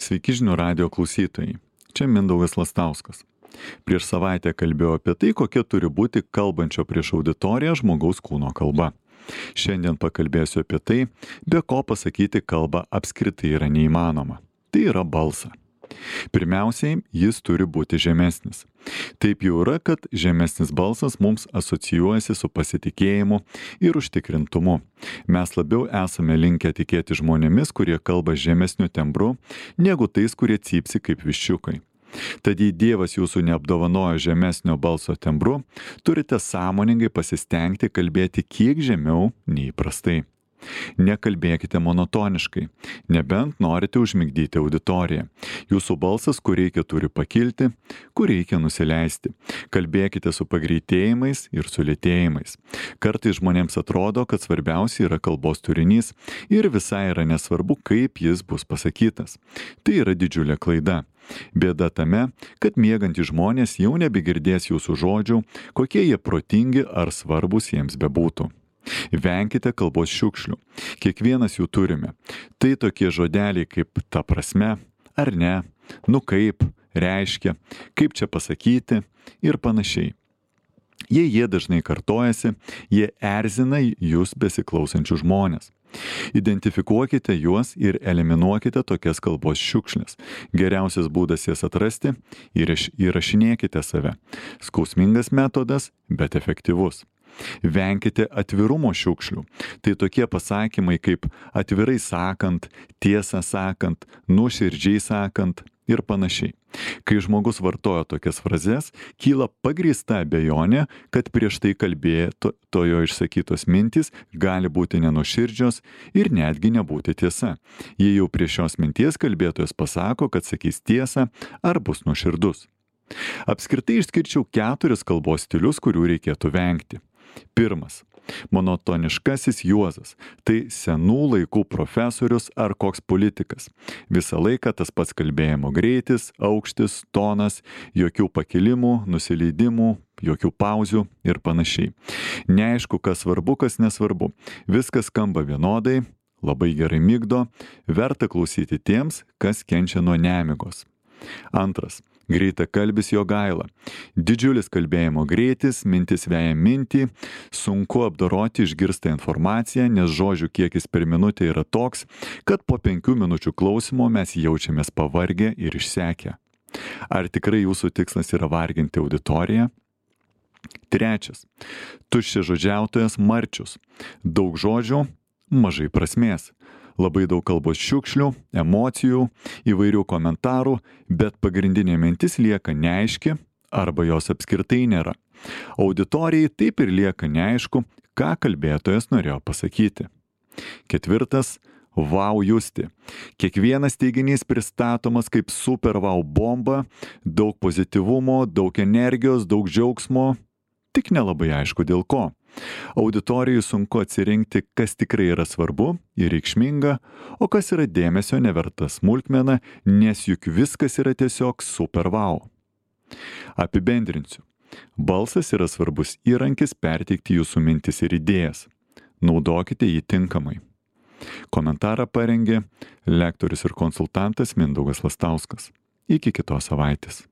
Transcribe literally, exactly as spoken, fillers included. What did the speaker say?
Sveiki žinių radijo klausytojai. Čia Mindaugas Lastauskas. Prieš savaitę kalbėjau apie tai, kokia turi būti kalbančio prieš auditoriją žmogaus kūno kalba. Šiandien pakalbėsiu apie tai, be ko pasakyti kalbą apskritai yra neįmanoma. Tai yra balsą. Pirmiausiai, jis turi būti žemesnis. Taip jau yra, kad žemesnis balsas mums asocijuojasi su pasitikėjimu ir užtikrintumu. Mes labiau esame linkę tikėti žmonėmis, kurie kalba žemesniu tembru, negu tais, kurie cypsi kaip viščiukai. Tad jei Dievas jūsų neapdovanojo žemesnio balso tembru, turite sąmoningai pasistengti kalbėti kiek žemiau nei įprastai. Nekalbėkite monotoniškai, nebent norite užmigdyti auditoriją. Jūsų balsas, kur reikia, turi pakilti, kur reikia nusileisti. Kalbėkite su pagreitėjimais ir su lėtėjimais. Kartais žmonėms atrodo, kad svarbiausia yra kalbos turinys ir visai yra nesvarbu, kaip jis bus pasakytas. Tai yra didžiulė klaida. Bėda tame, kad miegantys žmonės jau nebegirdės jūsų žodžių, kokie jie protingi ar svarbus jiems bebūtų. Venkite kalbos šiukšlių. Kiekvienas jų turime. Tai tokie žodeliai kaip ta prasme, ar ne, nu kaip, reiškia, kaip čia pasakyti ir panašiai. Jei jie dažnai kartojasi, jie erzina jūs besiklausančių žmonės. Identifikuokite juos ir eliminuokite tokias kalbos šiukšles. Geriausias būdas jas atrasti ir įrašinėkite save. Skausmingas metodas, bet efektyvus. Venkite atvirumo šiukšlių. Tai tokie pasakymai kaip atvirai sakant, tiesą sakant, nuoširdžiai sakant ir panašiai. Kai žmogus vartoja tokias frazes, kyla pagrįsta abejonė, kad prieš tai kalbėto to jo išsakytos mintys gali būti nenuoširdžios ir netgi nebūti tiesa. Jei jau prie šios minties kalbėtojas pasako, kad sakys tiesą ar bus nuoširdus. Apskritai išskirčiau keturis kalbos stilius, kurių reikėtų vengti. Pirmas. Monotoniškasis juozas. Tai senų laikų profesorius ar koks politikas. Visą laiką tas pats kalbėjimo greitis, aukštis, tonas, jokių pakilimų, nusileidimų, jokių pauzių ir panašiai. Neaišku, kas svarbu, kas nesvarbu. Viskas skamba vienodai, labai gerai migdo, verta klausyti tiems, kas kenčia nuo nemigos. Antras. Greitakalbis Jogaila. Didžiulis kalbėjimo greitis, mintis veja mintį, sunku apdoroti išgirstą informaciją, nes žodžių kiekis per minutę yra toks, kad po penkių minučių klausimo mes jaučiamės pavargę ir išsekę. Ar tikrai jūsų tikslas yra varginti auditoriją? Trečias. Tuščiažodžiautojas Marčius. Daug žodžių, mažai prasmės. Labai daug kalbos šiukšlių, emocijų, įvairių komentarų, bet pagrindinė mintis lieka neaiški arba jos apskritai nėra. Auditorijai taip ir lieka neaišku, ką kalbėtojas norėjo pasakyti. Ketvirtas. Vau justi. Kiekvienas teiginys pristatomas kaip super vau bomba, daug pozityvumo, daug energijos, daug džiaugsmo, tik nelabai aišku dėl ko. Auditorijai sunku atsirinkti, kas tikrai yra svarbu ir reikšminga, o kas yra dėmesio neverta smulkmena, nes juk viskas yra tiesiog super vau. Apibendrinsiu. Balsas yra svarbus įrankis perteikti jūsų mintis ir idėjas. Naudokite jį tinkamai. Komentarą parengė lektorius ir konsultantas Mindaugas Lastauskas. Iki kitos savaitės.